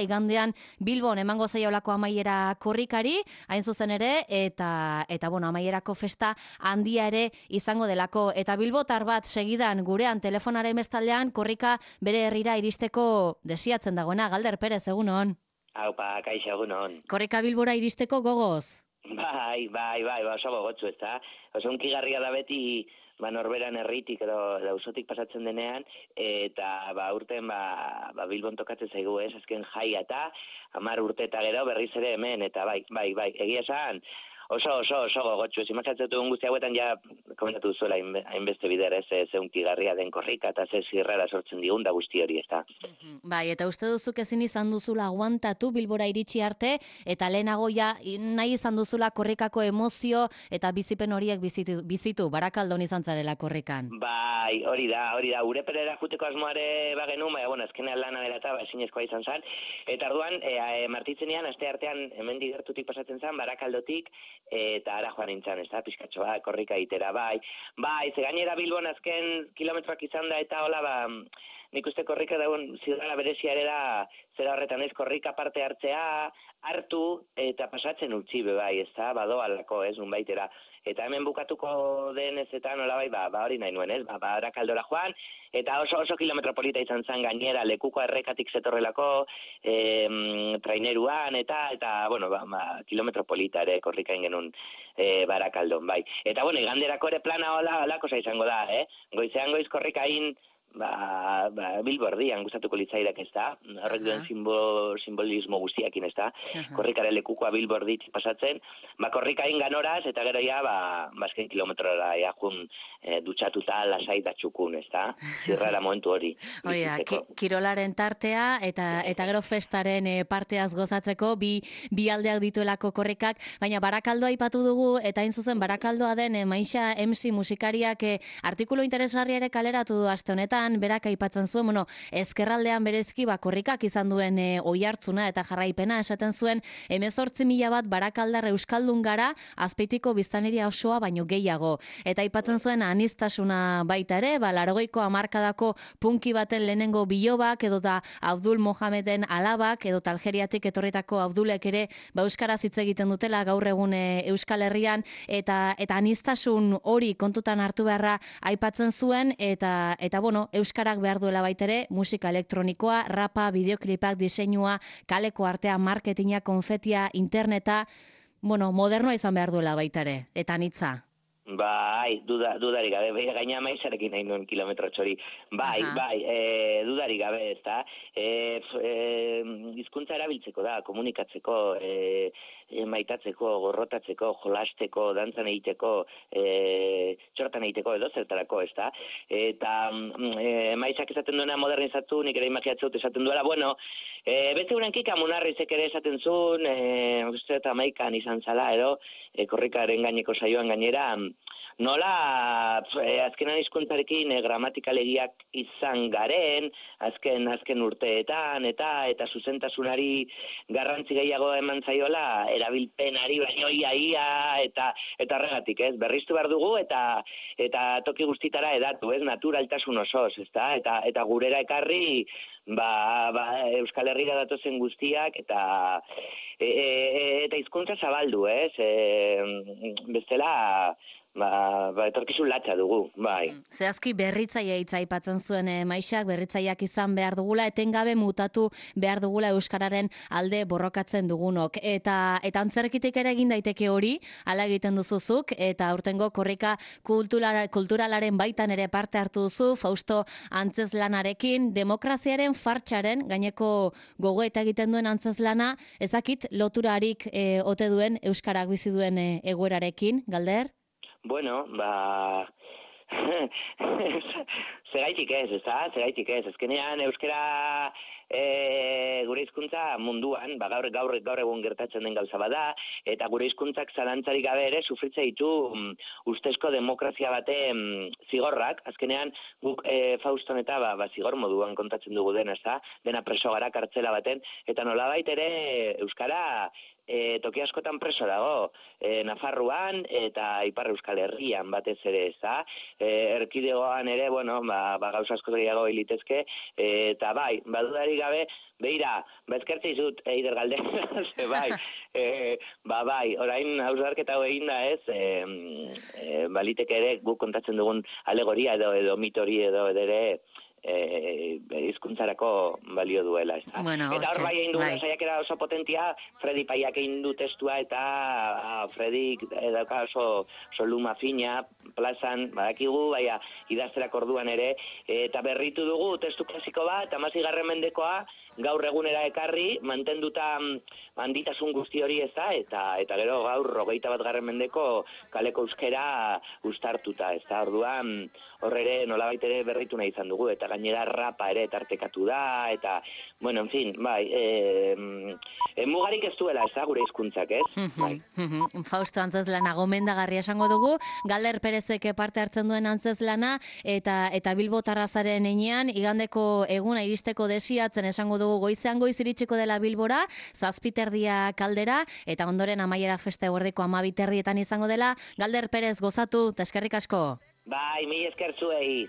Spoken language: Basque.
Igandean Bilbon emango zaiolako amaiera korrikari, hain zuzen ere, eta amaierako festa handia ere izango delako. Eta bilbotar bat segidan gurean telefonaren bestaldean korrika bere herrira iristeko desiatzen dagoena. Galder Perez, egunon. Haupa, kaixo, egunon. Korrika Bilbora iristeko gogoz? Bai, oso gogotsu, ez da? Oso unkigarria da beti, norberan herritik edo auzotik pasatzen denean, eta urten Bilbon tokatzen zaigu, ez? Azken jaia eta 10 urte eta gero berriz ere hemen, eta bai, egia esan, oso gogotsu, ez imaginatzen duen guzti hauetan ja komentatu duzuela hainbeste bider, ez unkigarria den korrika, eta ze zirrara sortzen digun da guzti hori, ez da? Bai, eta uste duzuk ezin izan duzula aguantatu Bilbora iritsi arte, eta lehenago ja nahi izan duzula korrikako emozio eta bizipen horiek bizitu, Barakaldon izan zarela korrikan. Bai, hori da, Ureperera juteko asmoare bagenu, azkenean lana dela eta ezinezkoa izan zen, eta orduan, martitzenean, aste artean, hemen gertutik pasatzen zen, Barakaldotik, eta ara joan nintzen, ez da, pizkatxoa, korrika itera, bai, ze gainera Bilbon azken kilometroak izan da, eta hola, nik uste korrika dagoen zirrara berezia ere da, zera horretan ez, korrika parte hartu eta pasatzen utzi bai, ez da, badoalako, ez, nunbaitera. Eta hemen bukatuko denez eta nolabait, hori nahi nuen, ez, Barakaldora joan, eta oso kilometropolita izan zen gainera, lekuko errekatik zetorrelako, traineruan, eta kilometropolita ere korrika ingenun Barakaldon, bai. Eta iganderako ere plana holako izango da, goizean goiz korrikain, Bilbo erdian gustatuko litzaidak, ez da, horrek duen simbolismo guztiakin, ez da, korrikaren lekukoa Bilbo erditik pasatzen, korrikain ganoraz, eta gero ja, azken kilometrora jun dutxatuta lasai da txukun, ez da, zirrara momentu hori. Hori da, kirolaren tartea, eta gero festaren parteaz gozatzeko, bi aldeak dituelako korrikak, baina Barakaldoa aipatu dugu, eta hain zuzen Barakaldoa den Maixa MC musikariak artikulu interesgarria ere kaleratu du aste honetan, berak aipatzen zuen, ezkerraldean berezki korrikak izan duen oihartzuna eta jarraipena esaten zuen 18.000 bat barakaldar euskaldun gara, Azpeitiko biztanleria osoa baino gehiago. Eta aipatzen zuen aniztasuna baita ere, 80ko hamarkadako punki baten lehenengo bilobak, edo da Abdul Mohameden alabak, edo Algeriatik etorritako Abdulek ere euskaraz hitz egiten dutela gaur egun Euskal Herrian, eta anistasun hori kontutan hartu beharra aipatzen zuen, eta euskarak behar duela baitere, musika elektronikoa, rapa, bideoklipak, diseinua, kaleko artea, marketinga, konfetia, interneta, modernoa izan behar duela baitare, eta anitza. Bai, dudarik gabe, gaina maizarekin nahi nuen kilometro txori. Bai, dudarik gabe, ez da. Hizkuntza erabiltzeko da, komunikatzeko, maitatzeko, gorrotatzeko, jolasteko, dantzan egiteko, txortan egiteko, edo zertarako, ez da. Eta maizak esaten duena modernizatu, nik ere imagiatzut esaten duela, beste urenkik amunarrizek ere esaten zuen, uste eta maikan izan zala, edo, korrikaren gaineko saioan gainera, nola azkenan hizkuntzarekin gramatikalegiak izan garen, azken urteetan, eta zuzentasunari garrantzi gehiago eman zaiola, erabilpenari baino ia, eta horregatik, ez, berriztu behar dugu, eta toki guztitara edatu, ez, naturaltasun osoz, ez da, eta gurera ekarri, Euskal Herrira datozen guztiak, eta hizkuntza zabaldu, ez, bestela, etorkizun latza dugu, bai. Zehazki berritzaia hitza aipatzen zuen Maixak, berritzaileak izan behar dugula, etengabe mutatu behar dugula euskararen alde borrokatzen dugunok. Eta antzerkitik ere egin daiteke hori, hala egiten duzuzuk, eta aurtengo korrika kulturalaren baitan ere parte hartu duzu, Fausto Antzeslanarekin, demokraziaren fartxaren, gaineko gogoeta egiten duen Antzeslana, ezakit loturarik ote duen euskarak bizi duen egoerarekin, Galder? Bueno, segaitik ez, ez da? Segaitik ez. Ezkenean euskara gure hizkuntza munduan, gaur egun gertatzen den gauza bada, eta gure hizkuntzak zalantzarik gabe ere sufritze ditu ustezko demokrazia bate zigorrak. Azkenean guk Fauston eta zigor moduan kontatzen dugu dena, ez da? Dena preso gara kartzela baten, eta nolabait ere euskara toki askotan preso dago, Nafarroan eta Ipar Euskal Herrian batez ere, ezta? Erkidegoan ere, bueno, gauza asko gehiago hilitezke, eta bai, badudari gabe, beira, eskertze izut, Eider Galdera, ze bai, bai, orain hausnarketa hau egin da ez, baliteke ere guk kontatzen dugun alegoria edo mitori edo ere, hizkuntzarako balio duela, ez da? Bueno, eta hor bai egin dugu saiakera oso potentia, Fredi Paiak egin du testua eta Fredi dauka oso luma fina, plazan, badakigu, baina idazterak orduan ere, eta berritu dugu testu klasiko bat, 16. mendekoa, gaur egunera ekarri, mantenduta handitasun guzti hori ez da, eta gero gaur 21. mendeko kaleko euskera uztartuta, ez da, orduan horre nolabait ere berritu nahi izan dugu, eta gainera rapa ere tartekatu da, eta, bueno, en fin, bai, mugarik ez duela, ez da, gure hizkuntzak, ez? Bai. Fausto Antzezlana gomendagarria esango dugu, Galder Perezek parte hartzen duen Antzezlana, eta Bilbotarra zaren enean, igandeko eguna iristeko desiatzen esango dugu goizean goiz iritsiko dela Bilbora, 7:30 kaldera, eta ondoren amaiera festa eguerdiko 12:30 izango dela. Galder Perez gozatu, eta eskerrik asko. Bai, mila esker zuei.